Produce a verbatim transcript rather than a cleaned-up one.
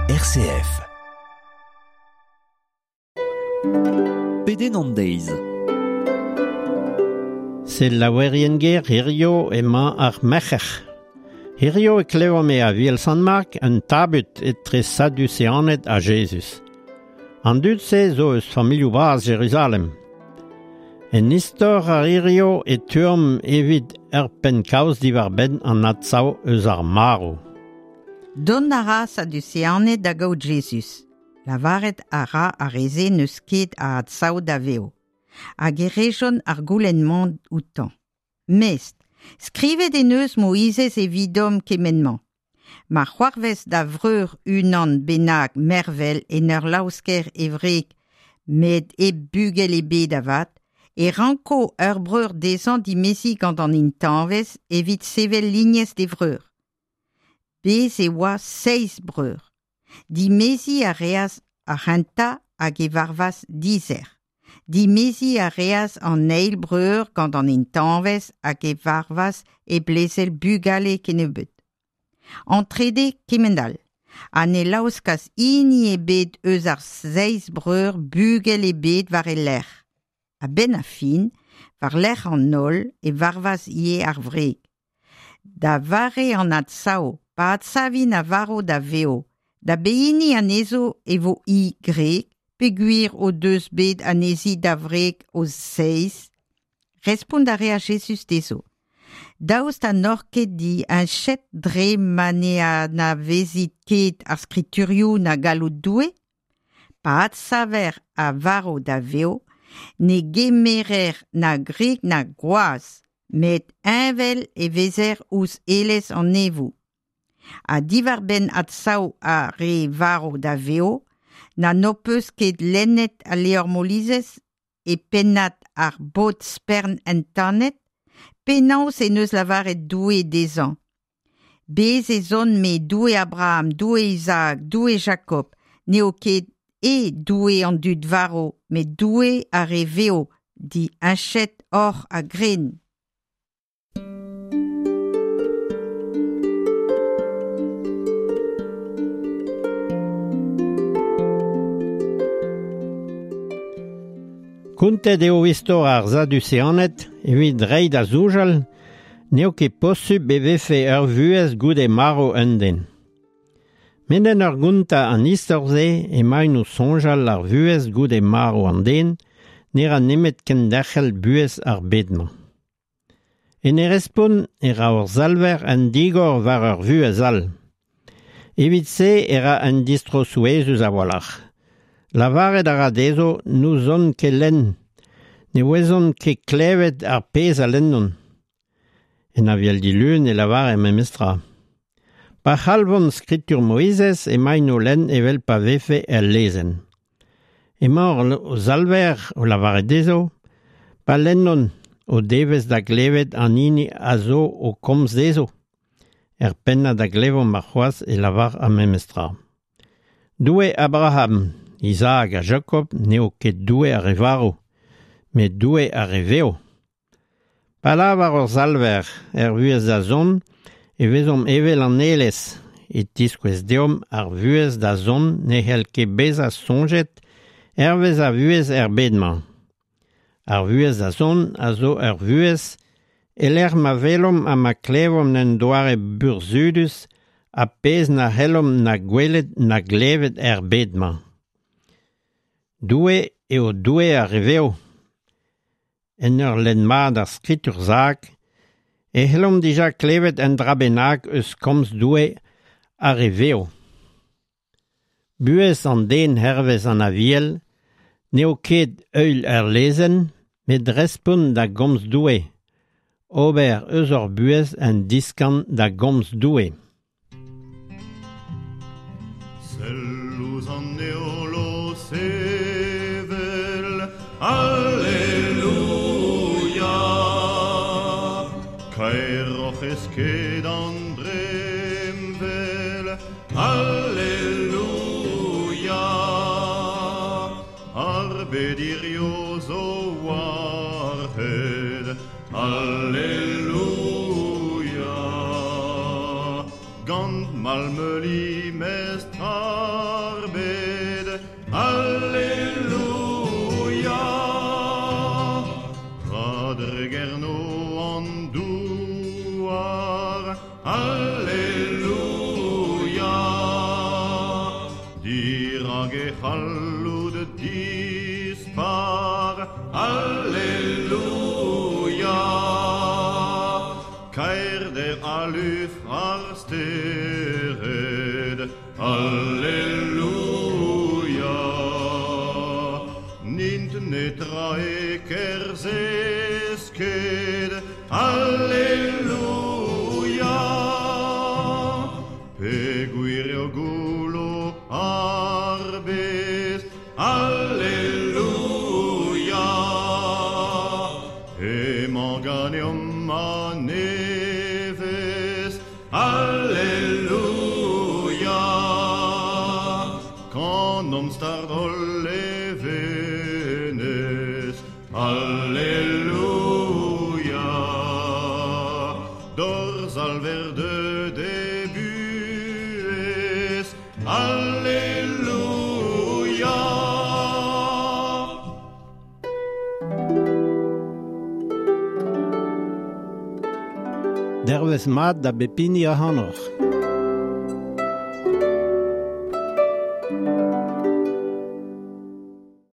R C F. Pedenn an deiz. Selaouerien ger hirio emañ ar merc'her. Hirio e klevomp e Aviel Sant-Mark un tabut etre Saduseaned ha Jezuz. An dud-se zo eus familhoù bras Jeruzalem. En istor ar hirio e tuomp evit ur penn-kaoz diwar-benn an adsav eus ar marv. Dont a ra Saduseaned da gaout Jezuz. Lavaret a ra ar re-se n'eus ket a adsav da vev. Hag e rejont ar goulenn-mañ outañ. Mestr, skrivet en deus Moizez evidomp kement-mañ. Ma c'hoarvez da vreur unan bennak mervel en ur laosker e wreg, met hep bugel ebet avat, e ranko ur breur dezhañ dimeziñ gant an intañvez evit sevel lignez d'e vreur. Bez e oa seizh breur. Dimeziñ a reas ar c'hentañ hag e varvas dizer. Dimeziñ a reas an eil breur gant an intañvez hag e varvas e blezel bugale kennebeut. An trede kement all. Ha ne laoskas hini ebet eus ar seizh breur bugel ebet war e lerc'h. A-benn ar fin, war lerc'h an holl e varvas ivez ar wreg. Da vare an adsav, pa adsavint a varv da vev, da behini anezho e vo hi gwreg, peogwir o deus bet anezhi da wreg o seizh. Respont a reas Jezuz dezho. Daoust ha n'oc'h ket diheñchet dre ma ne anavezit ket ar skriturioù na galloud Doue? Pa adsaver a varv da vev, ne gemerer na gwreg na gwaz, met heñvel e vezer ouzh aelez an neñvoù. Ha diwar-benn adsav ar re varv da vev, na n'ho peus ket lennet al levr Moizez e pennad ar bod spern entanet, penaos en deus lavaret Doue dezhañ. Bez ez on me Doue Abraham, Doue Isaac, Doue Jakob, n'eo ket e Doue an dud varv, met Doue ar re vev, diheñchet oc'h a-grenn. Kontet eo istor ar Saduseaned evit reiñ da soñjal n'eo ket posupl e vefe ur vuhez goude marv un den. Met en ur gontañ an istor-se emaint o soñjal ar vuhez goude marv an den ne ra nemet kenderc'hel buhez ar bed-mañ. En e respont e ra ur salver un digor war ur vuhez all. Evit se e ra un distro souezhus a-walc'h. Lavaret a ra dezho n'ouzont ket lenn, ne ouezont ket klevet ar pezh a lennont. En Aviel dilun e lavare memestra. Pa c'halvont skritur Moizez emaint o lenn evel pa vefe el lezenn. Emañ o salver o lavaret dezho, pa lennont o devez da glevet an hini a zo o komz dezho. Er pennad da glevomp ar c'hoazh e lavar ar memestra. Doue Abraham, Isaac ha Jakob n'eo ket Doue ar re varv, met Doue ar re vev. Pa lavar ur salver er vuhez da zont, e vezomp evel an aelez, e tiskouez deomp ar vuhez da zont ne c'hell ket bezañ soñjet hervez ar vuhez er bed-mañ. Ar vuhez da zont a zo ur vuhez e-lec'h ma welomp ha ma klevomp un doare burzhudus ha pezh na c'hellomp na gwelet na glevet er bed-mañ. Doue eo Doue ar re vev. En ur lenn mat ar skritur sakr, e c'hellomp dija klevet un dra bennak eus komz Doue ar re vev. Buhez an den hervez an Aviel n'eo ket heuil ar lezenn, met respont da gomz Doue. Ober eus hor buhez un diskan da gomz Doue. Sell ouzh an heol o sevel, Alleluia. Kaeroc'h ez ket an dremmwel, Alleluia. Ar bed hirio zo war hed, Alleluia. Gant Tamal meuli mestr ar bed, Alleluia. Ra dregerno an douar, Alleluia. Dirag e c'halloud dispar, Alleluia. Kaer der aluf ar stered, Alleluia. Nint netra e kerzez ket, Alleluia. Pe gwir eo goulo ar bez, Alleluia. Emañ ganeomp a nevez, Alleluia. Kanomp start hol levenez, Alleluia. D'hor zalver deut e buhez, Alleluia. Dervez mat da bep hini ac'hanoc'h.